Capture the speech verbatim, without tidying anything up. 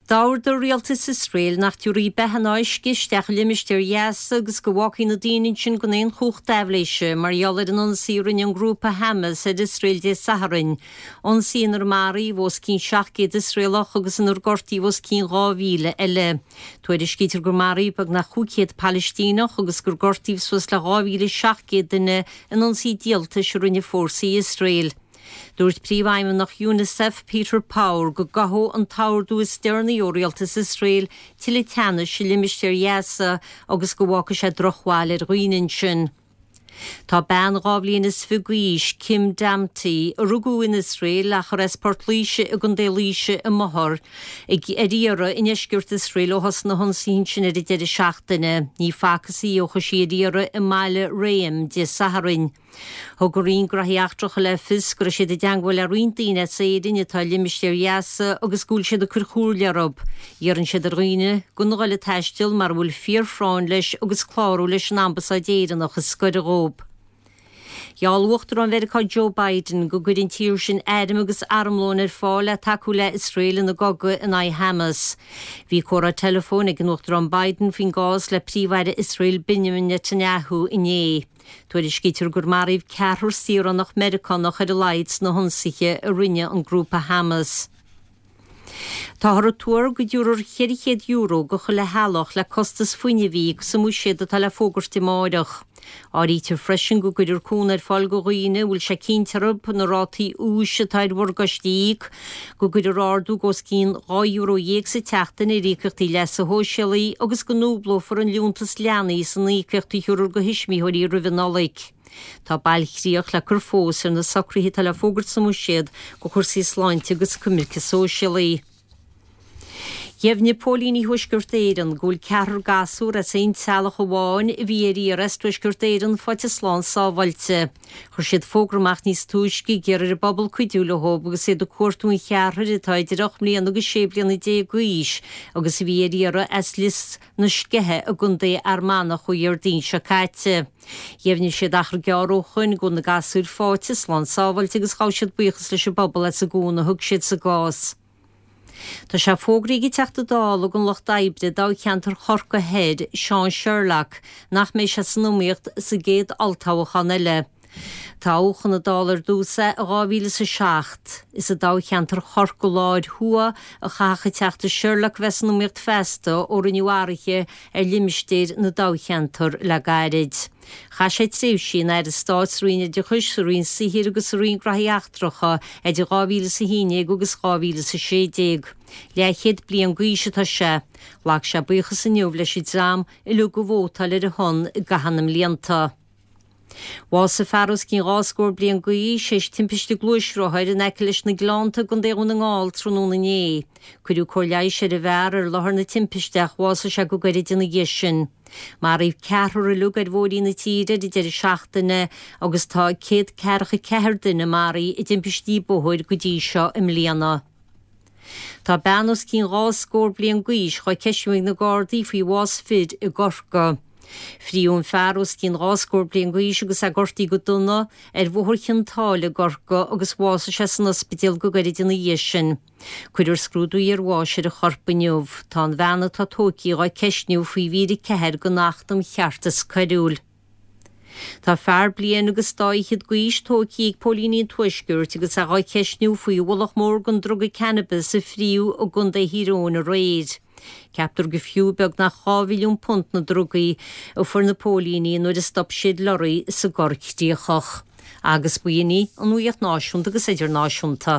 D'ordaigh rialtas Iosrael nach dtabharfaí beatha ná uisce isteach i limistéar Ghaza agus go bhfágfaí na daoine ansin gan aon chumhacht aibhléise mar gheall ar an ionsaí a rinne an grúpa Hamas ar Iosrael Dé Sathairn. Ionsaí inar maraíodh os cionn seacht gcéad Iosraelach agus inar gortaíodh os cionn dhá mhíle eile. Tuairiscítear gur maraíodh beagnach cúig chéad Palaistíneach agus gur gortaíodh suas le dhá mhíle seacht gcéad duine in ionsaí díoltais a rinne fórsaí Iosrael. Dúirt Príomhfheidhmeannach UNICEF Peter Power go gcothódh an t-ordú is deireanaí ó rialtas Iosrael tuilleadh teannais i limistéar Ghaza agus go bhfágfaidh sé drochbhail ar dhaoine ansin. Tá bean dhá bhliain is fiche d'aois, Kim Damti, a rugadh in Iosrael ach ar as Port Laoise i gContae Laoise a máthair, ag ar iarraidh i ndeisceart Iosrael ó thosaigh na hionsaithe ansin ar an deireadh seachtaine. Ní facthas í ó chuaigh sí ar iarraidh i mbaile Réim Dé Sathairn. Thug an Roinn Gnóthaí Eachtracha le fios go raibh siad i dteagmháil le roinnt daoine as Éirinn atá i limistéar Ghaza agus go bhfuil siad ag cur comhairle orthu. Iarrann siad ar dhaoine gan a dhul ag taisteal mura bhfuil fíorphráinn leis agus clárú leis an Ambasáid Éireannach is gaire dóibh. Gheall Uachtarán Mheiriceá Joe Biden go gcuirfidh an tír sin airm agus armlón ar fáil le tacú le Iosrael ina gcogadh in aghaidh Hamas. Bhí comhrá teileafóin ag an Uachtarán Biden faoin gcás le Príomh-Aire Iosrael Benjamin Netanyahu inné. Tuairiscítear gur maraíodh ceathrar saoránach Meiriceánach ar a laghad sna hionsaithe a rinne an grúpa Hamas. Táthar ag tuar go dtabharfar ceithre chéad euro go chuile theaghlach le costas fuinnimh a íoc sa mbuiséad atá le fógairt amárach. Áirítear freisin go gcuirfear cúnamh ar fáil go dhaoine a bhfuil sé cinnte orthu na rátaí úis atá ar mhorgáistí a íoc, go gcuirfear ardú os cionn dhá euro dhéag sa tseachtain ar íocaíochtaí leasa shóisialaigh agus go ndúblófar an liúntas leanaí san íocaíocht a thabharfar go thuismitheoirí roimh an Nollaig. Tá bailchríoch le cur fós ar na socruithe atá le fógairt sa mbuiséad go chúrsaí sláinte agus coimirce sóisialaí. Dheimhnigh Póilíní Thuaisceart Éireann go bhfuil ceathrar gasúr as aon teaghlach amháin a bhí ar iarraidh as Tuaisceart Éireann faighte slán sábháilte. Chuir siad fógra amach níos túisce ag iarraidh ar an bpobal cuidiú leo agus iad ag cuartú an cheathrair atá idir ocht mbliana agus sé bliana déag d'aois agus a bhí ar iarraidh as Lios na Sceiche i gContae Fhear Manach ó Dhéardaoin seo caite. Dheimhnigh siad achar gearr ó shoin go bhfuil na gasúir faighte slán sábháilte agus ghabh siad buíochas leis an bpobal as an gcúnamh a thug siad sa gcás. Tá sé fógraithe ag an Teachta Dála don Lucht Oibre i dtoghcheantar Chorcaí Thoir, Seán Sherlock, nach mbeidh sé san iomaíocht sa gcéad olltoghchán eile. Toghadh chun na Dála ar dtús é i dhá mhíle is a seacht. Is i dtoghcheantar Chorcaí Láir Thuaidh a chaithfeadh an Teachta Sherlock bheith san iomaíocht feasta ó rinneadh athruithe ar limistéir na dtoghcheantar le gairid. Chaith sé tréimhsí ina Aire Stáit sa Roinn Oideachais, sa Roinn Saothair agus sa Roinn Gnóthaí Eachtracha idir dhá mhíle is a haon déag agus dhá mhíle is a sé déag. Leathchéad bliain d'aois atá sé. Ghlac sé buíochas inniu leis an dream uilig a vótáil ar a shon i gcaitheamh na mblianta. Bhásaigh fear os cionn dhá scór bliain d'aois théis timpiste gluaisrothair in aice leis na Gleannta i gContae Dhún na nGall tráthnóna inné. Cuireadh cóir leighis ar an bhfear ar láthair na timpiste ach bhásaigh sé go gairid ina dhiaidh sin. Maraíodh ceathrar uilig ar bhóithrí na tíre ar an deireadh seachtaine agus tá céad ceathracha ceathair duine maraithe i dtimpistí bóthair go dtí seo i mbliana. Tá bean os cionn dhá scór bliain d'aois dhá ceistiú ag na Gardaí faoi bhás fir i gCorcaigh. Fríodh an fear os cionn dhá scór bliain d'aois agus é gortaithe go dona ar Bhóthar Chionn tSáile i gCorcaigh agus bhásaigh sé san ospidéal go gairid ina dhiaidh sin. Cuirfear scrúdú iarbháis ar a chorp inniu. Tá an bhean atá tógtha dhá ceistniú faoi mhír a ceathair den Acht um Cheartas Coiriúil. Tá fear bliain agus dá fhichead d'aois tógtha ag póilíní an Tuaiscirt agus é dhá cheistniú faoi ualach mór den druga cannabis a fríodh i gContae Thír Eoghain aréir. Ceaptar gur fiú beagnach dhá mhilliún punt na drugaí a fuair na póilíní nuair a stop siad lorraí sa gCorr Chríochach. Agus b'in í an nuacht náisiúnta agus idirnáisiúnta.